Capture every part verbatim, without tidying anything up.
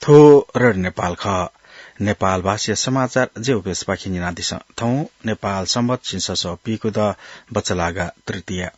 थ्व रेडियो नेपाल खः। नेपाल भाषाया समाचार जेउपेसपाखे न्यनादिसँ। थौं नेपाल संवत झिंछसः पीगू द बचलागा तृतीया।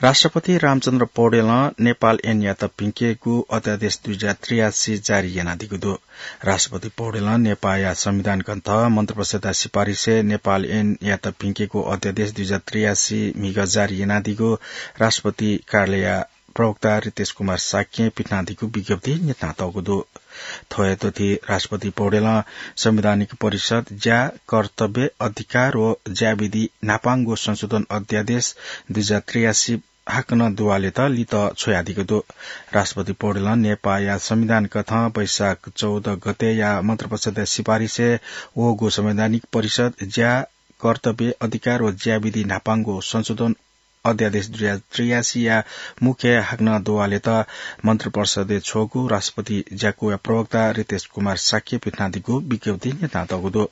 राष्ट्रपति रामचन्द्र पौडेलं नेपाल ऐनयात भिंकेगु अध्यादेश दुई हजार त्रियासी जारी यानादीगु दु। राष्ट्रपति पौडेलं नेपाःया संविधान ग्रन्थ मन्त्रिपरिषदया सिफारिसय् नेपाल ऐनयात भिंकेगु अध्यादेश दुई हजार त्रियासी म्हिगः जारी यानादीगु राष्ट्रपति कार्यालयया प्रवक्ता रितेश कुमार शाक्यं पिथनादीगु विज्ञप्ति न्यनातःगु दु। थ्व हे दथुइ राष्ट्रपति पौडेलं संवैधानिक परिषद, ज्या, कर्तव्य, अधिकार व ज्याविधि न्हापांगु संशोधन अध्यादेश दुई हजार त्रियासी हाकनं दुवालेत लित छ्वयादीगु दु। राष्ट्रपति पौडेलं नेपाःया संविधान कथं वैशाख चौध गतेया मन्त्रिपरिषदया सिफारिसय् वःगु संवैधानिक परिषद, ज्या, कर्तव्य, अधिकार व ज्याविधि न्हापांगु संशोधन अध्यादेश दुई हजार त्रियासीया मुख्य हाकनं दुवालेत मन्त्रिपरिषदय् छ्वःगु राष्ट्रपति ज्याकुया प्रवक्ता रितेश कुमार शाक्यं पिथनादीगु विज्ञप्ति न्यनातःगु दु।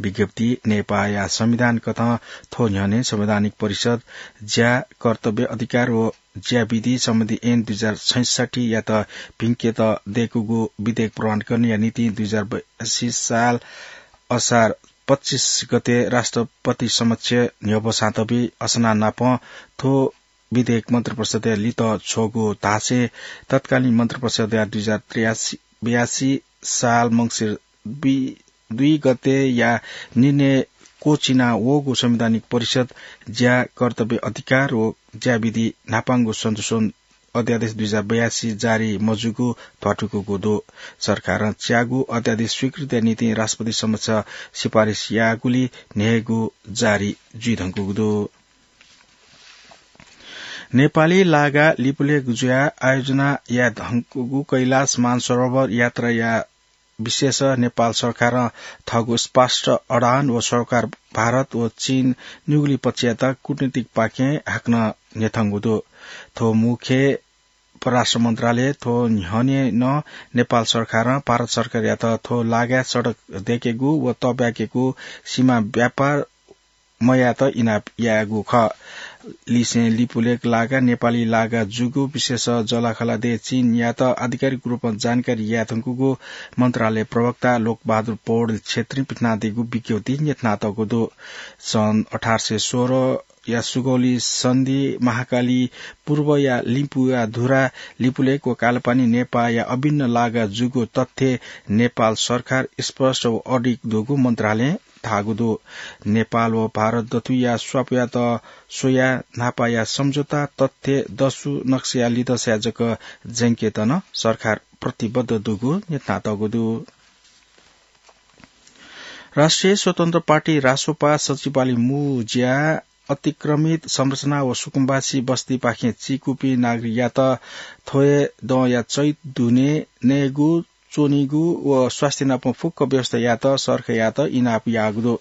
विज्ञप्ति नेपाःया संविधान कथं थ्व न्ह्यःने संवैधानिक परिषद, ज्या, कर्तव्य, अधिकार व ज्याविधि सम्बन्धी ऐन दुई हजार छैसठ्ठीयात भिंकेत दय्कूगु विधेयक प्रमाणीकरणया निंतिं दुई हजार बयासी साल असार पच्चिस गते राष्ट्रपति समक्ष न्ह्यब्वसां तबी असना नाप थ्व विधेयक मन्त्रिपरिषदय् लित छ्वःगु धासें तत्कालीन मन्त्रिपरिषदया दुई हजार त्रियासी बयासी साल मंसिर दुई, दुई गतेया निर्णय क्वःछिना वःगु संवैधानिक परिषद, ज्या, कर्तव्य, अधिकार व ज्याविधि न्हापांगु संशोधन अध्यादेश दुई हजार बयासी जारी मजूगु ध्वाथुइकूगु दु। सरकारं च्यागू अध्यादेश स्वीकृतिया निंतिं राष्ट्रपति समक्ष सिफारिस याःगुली न्हय्गू जारी जुइधुंकूगु दु। नेपाली लागा लिपुलेख जुयाः आयोजना यायेधुंकूगु कैलाश मानसरोवर यात्राया विषयय् नेपाल सरकारं थःगु स्पष्ट अडान व सरकार भारत व चीन निगुलिं पक्षयात कूटनीतिक पाखें हाकनं न्ह्यथंगु दु। थ्व मुख्य परराष्ट्र मन्त्रालय थ्व न्ह्यःने नं नेपाल सरकारं भारत सरकारयात थ्व लागाय् सडक दय्केगु व तःब्याकेगु सीमा व्यापार मयायेत इनाप यायेगु खः। लिसें लिपुलेख लागा नेपाली लागा जूगु विषयय् जःलाखःला देय् चीनयात आधिकारिक रूपमा जानकारी यायेधुंकूगु मन्त्रालय प्रवक्ता लोकबहादुर पौडेल क्षेत्रीं पिथनादीगु विज्ञप्तिइ न्ह्यथनातःगु दु। सन् अठार सय सोह्र या सुगौली सन्धि महाकाली पूर्वया लिम्पुया धुरा लिपुलेख व कालापानी नेपाःया अभिन्न लागा जूगु तथ्य नेपाल सरकार स्पष्ट व अडिग दुगु मन्त्रालयं धाःगु दु। नेपाल व भारत दथुइया स्वापयात स्वयाः न्हापाया सम्झौता तथ्य दसु नक्साया लिधंसाय् जक ज्यंकेत नं सरकार प्रतिबद्ध दुगु न्ह्यथनातःगु दु। राष्ट्रिय स्वतन्त्र पार्टी रासोपा सचिवालय मू ज्या अतिक्रमित संरचना व सुकुम्बासी बस्तीपाखें चीकूपिं नागरिकयात थ्व हे दँया चैत दुने नयेगु, च्वनीगु व स्वास्थ्य नाप फुक्क व्यवस्था यायेत सरकारयात इनाप याःगु दु।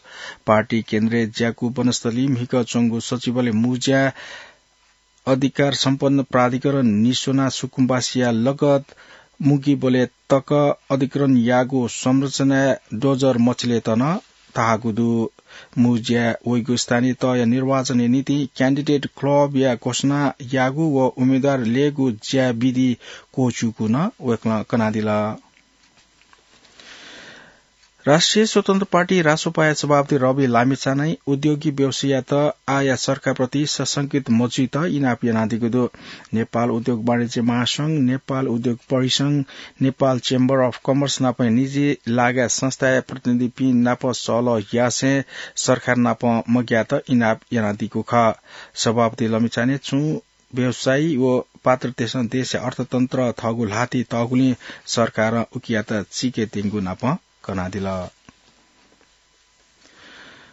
पार्टी केन्द्रय् ज्याकू वनस्थली म्हिकः च्वंगु सचिवालय मू ज्या अधिकार सम्पन्न प्राधिकरण निस्वना सुकुम्बासीया लगत मुगीबलय् तक अधिग्रहण याःगु संरचनाय् डोजर मछिलेत नं धाःगु दु। मू ज्या वइगु स्थानीय तहया निर्वाचनया निंतिं क्यान्डिडेट क्लबया घोषणा याःगु व उम्मेदवार लयेगु ज्या विधि क्वःछिउगु नं वय्कलं कनादिल। राष्ट्रिय स्वतन्त्र पार्टी रासोपाया सभापति रवि लामिछानें उद्योगी व्यवसायीयात आःया सरकारप्रति सशंकित मजुइत इनाप यानादीगु दु। नेपाल उद्योग वाणिज्य महासंघ, नेपाल उद्योग परिसंघ, नेपाल चेम्बर अफ कमर्स नापं निजी लागा संस्थाया प्रतिनिधिपिं नाप सहलह यासें सरकार नाप मग्यात इनाप यानादीगु खः। सभापति लामिछानें छुं व्यवसायी व पात्रतय्सं देशया अर्थतन्त्र थःगु ल्हातिइ तःगुलिं सरकारं उकियात चीकेत्यंगु नाप कनादिल।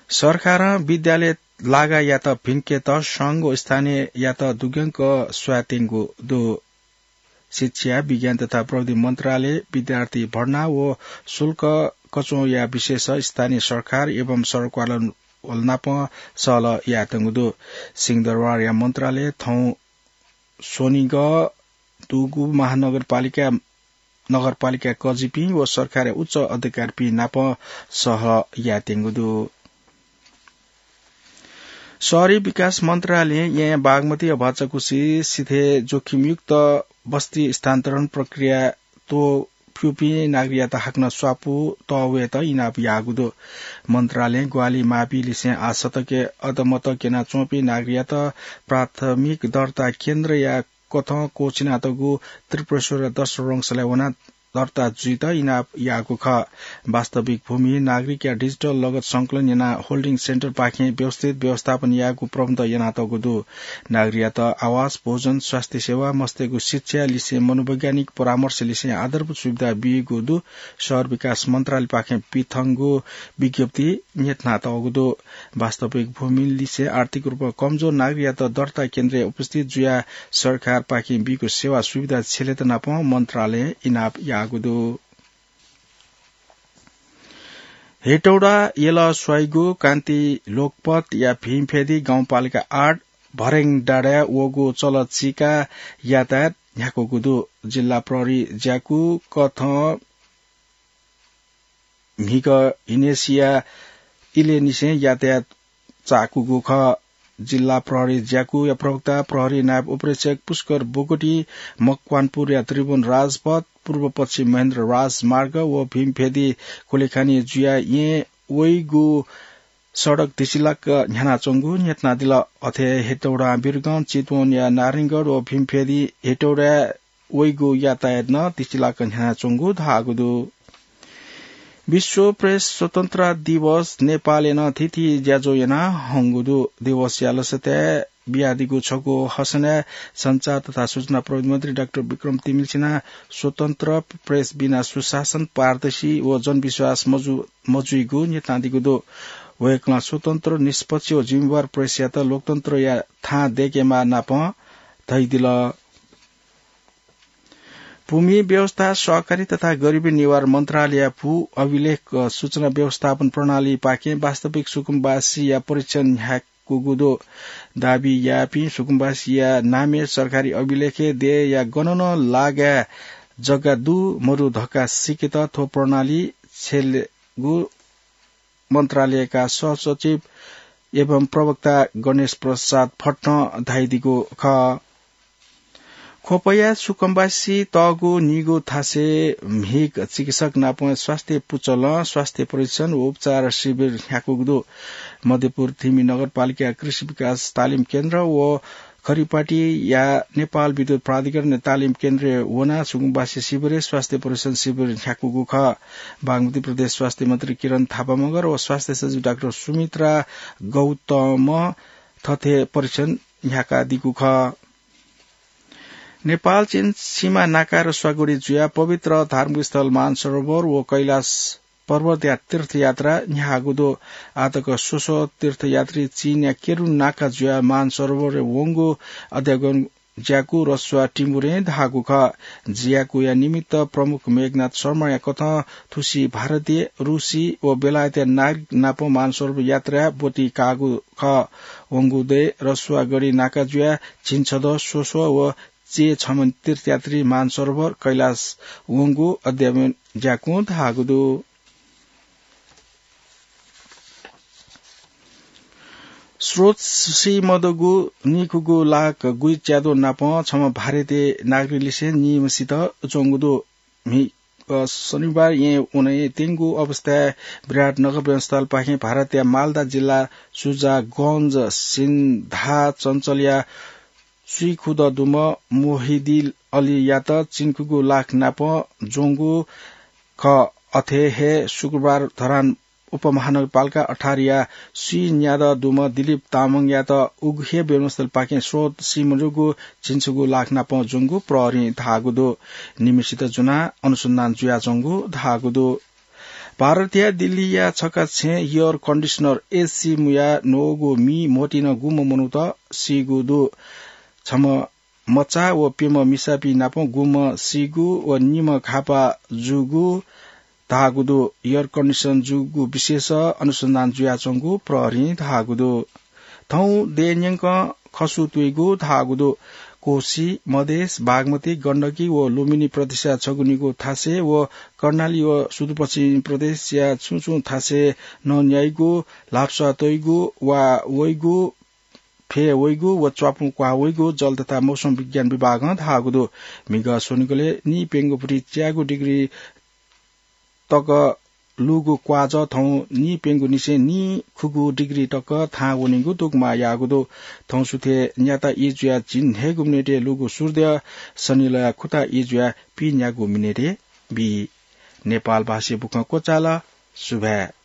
सरकारं विद्यालय लागायात भिंकेत संघ व स्थानीययात दुग्यंक स्वायेत्यंगु दु। शिक्षा, विज्ञान तथा प्रविधि मन्त्रालय विद्यार्थी भर्ना व शुल्क कच्वःया विषयय् स्थानीय सरकार एवं सरकारवाला नाप सहलह यायेत्यंगु दु। सिंहदरबारया मन्त्रालय थौं स्वनिगः दुगु महानगरपालिका, नगरपालिका कजिपिं व सरकारया उच्च अधिकारीपिं नाप सहलह यायेत्यंगु दु। शहरी विकास मन्त्रालयं येँया बागमती अभाचाकुसि सिथय् जोखिमयुक्त बस्ती स्थानान्तरण प्रक्रिया त्व प्यूपिं नागरिकयात हाकनं स्वापू तःवयेत इनाप याःगु दु। मन्त्रालयं ग्वाहालि माःपिं लिसें आः सतकय् अदमत क्यनाच्वंपिं नागरिकयात प्राथमिक दर्ता केन्द्रया कथं क्वःछिनातःगु त्रिपुरेश्वर दर्शन रंगशालाय् वनाः दर्ता जुइत इनाप याःगु खः। वास्तविक भूमिहीन नागरिकया डिजिटल लगत संकलन यानाः होल्डिङ सेन्टरपाखें व्यवस्थित व्यवस्थापन यायेगु प्रबन्ध यानातःगु दु। नागरिकयात आवास, भोजन, स्वास्थ्य सेवा, मस्तय्गु शिक्षा लिसें मनोवैज्ञानिक परामर्श लिसें आधारभूत सुविधा बीगु दु। शहर विकास मन्त्रालयपाखें पिथंगु विज्ञप्ति न्ह्यथनातःगु दु। वास्तविक भूमिहीन लिसें आर्थिक रूपमा कमजोर नागरिकयात दर्ता केन्द्रय् उपस्थित जुयाः सरकारपाखें बीगु सेवा सुविधा छ्यलेत नापं मन्त्रालयं इनाप याःगु दु। हेटौडा यल स्वाइगु कान्ति लोकपथया भीमफेदी गाउँपालिका आठ भरेङ डाँडाय् वःगु चलचिका यातायात न्ह्याकूगु दु। जिल्ला प्रहरी ज्याकू कथं म्हिगः हिनेसिया इलेनिसें यातायात चाकूगु खः। जिल्ला प्रहरी ज्याकूया प्रवक्ता प्रहरी नायब उपरीक्षक पुष्कर बोगटी मकवानपुरया त्रिभुवन राजपथ, पूर्व पश्चिम महेन्द्र राजमार्ग व भीमफेदी कुलेखानी जुया येँ वइगु सडक धिसिलाक न्ह्यानाच्वंगु न्ह्यथनादिल। अथे हेटौडा बिरगं चितवनया नारायणगढ व भीमफेदी हेटौडा वइगु यातायात नं धिसिलाक न्ह्यानाच्वंगु धाःगु दु। विश्व प्रेस स्वतन्त्रता दिवस नेपालय् नं थीथी ज्याझ्वः याना हंगु दु। दिवसया लसताय् बियादीगु छगू हसनय् सञ्चार तथा सूचना प्रविधि मन्त्री डाक्टर विक्रम तिमिल्सिनां स्वतन्त्र प्रेस बिना सुशासन, पारदर्शी व जनविश्वास मजु-, मजुइगु न्ह्यथनादीगु दु। वय्कलं स्वतन्त्र, निष्पक्ष व जिम्मेवार प्रेसयात लोकतन्त्रया थां दय्केमाः नापं धयादिल। भूमि व्यवस्था, सहकारी तथा गरिबी निवारण मन्त्रालयया भू अभिलेख सूचना व्यवस्थापन प्रणालीपाखें वास्तविक सुकुम्बासीया परीक्षण न्ह्याकूगु दु। दाबी याःपिं सुकुम्बासीया नामय् सरकारी अभिलेखय् देय्या गन नं लागाय् जग्गा दु मदु धकाः सीकेत थ्व प्रणाली छ्यलेगु मन्त्रालयका सहसचिव एवं प्रवक्ता गणेश प्रसाद भट्टं धयादीगु खः। ख्वपया सुकुम्बासी तःगु नीगू थासय् म्हिगः चिकित्सक नाप स्वास्थ्य पुचलं स्वास्थ्य परीक्षण व उपचार शिविर न्ह्याकूगु दु। मध्यपुर थिमि नगरपालिका कृषि विकास तालिम केन्द्र व खरिपाटीया नेपाल विद्युत प्राधिकरण तालिम केन्द्रय् वनाः सुकुम्बासी शिविरय् स्वास्थ्य परीक्षण शिविर न्ह्याकूगु खः। बागमती प्रदेश स्वास्थ्य मन्त्री किरण थापा मगर व स्वास्थ्य सचिव डाक्टर सुमित्रा गौतमं थथे परीक्षण न्ह्याकादीगु खः। नेपाल चीन सीमा नाका रसुवागढी जुयाः पवित्र धार्मिक स्थल मानसरोवर व कैलाश पर्वतया तीर्थयात्रा न्ह्याःगु दु। आःतक स्वस्वः तीर्थयात्री चीनया केरुन नाका जुयाः मानसरोवरय् वंगु अध्ययन ज्याकू रसुवा टिमुरें धाःगु खः। ज्याकूया निमित्त प्रमुख मेघनाथ शर्माया कथं थुसी भारतीय, रूसी व बेलायतया नागरिक नाप मानसरोवर यात्राय् ब्वति काःगु खः। वंगु दँय् रसुवागढी नाका जुयाः झिंछदँ, स्वस्वः व चय्छम्ह तीर्थयात्री मानसरोवर कैलाश वंगु अध्ययन ज्याकूं धाःगु दु। स्रोत सीमदुगु नीखुगू लाख गुइच्यादँ नाप छम्ह भारतीय नागरिकलिसें निम्हसित च्वंगु दु। म्हि-, अ, शनिबार येँ वने त्यंगु अवस्थाय् विराटनगर विमानस्थलपाखें भारतया मालदा जिल्ला सुजागञ्ज सिन्धा चञ्चलया स्वीखुदँ दुम्ह मोहिदी अलीयात झिंखुगू लाख नाप ज्वंगु खः। अथे हे शुक्रबार धरान उपमहानगरपालिका अठारया स्वीन्यादँ दुम्ह दिलीप तामाङयात उघे विमानस्थलपाखें स्रोत सीमदुगु झिंछुगू लाख नाप ज्वंगु प्रहरीं धाःगु दु। निम्हसित ज्वनाः अनुसन्धान जुयाच्वंगु धाःगु दु। भारतया दिल्लीया छकः छेँ एयर कन्डिसनर एसी मुयाः न्वःगु मि म्होतिं गुम्ह मनूत सीगु दु। छम्ह मचा व प्यम्ह मिसापिं नाप गुम्ह सीगु व निम्ह घाःपाः जूगु धाःगु दु। एयर कन्डिसन जूगु विषयस अनुसन्धान जुयाच्वंगु प्रहरीं धाःगु दु। थौं देय् न्यंकं खसु तुइगु धाःगु दु। कोसी, मधेस, बागमती, गण्डकी व लुम्बिनी प्रदेशया छगू निगू थासय् व कर्णाली व सुदूरपश्चिम प्रदेशया छुं छुं थासय् नँ न्याइगु, ल्हापसाः तइगु वा वइगु फ्येवइगु व च्वापुं क्वाः वइगु जल तथा मौसम विज्ञान विभागं धाःगु दु। म्हिगः स्वनिगलय् नीप्यंगू भति च्यागू डिग्री तक लूगु क्वाःजः थौं नीप्यंगू निसें नीखुगू डिग्री तक थाहां वनीगु दुगुमाः याःगु दु। थौं सुथय् न्याता ई जुयाः झिंन्हय्गू मिनेटय् लूगु सूर्यद्यः सनिलया खुता ई जुयाः पीन्यागू मिनेटय् बी। नेपाल भाषाय् बुखँ क्वचाल। सुभाय्।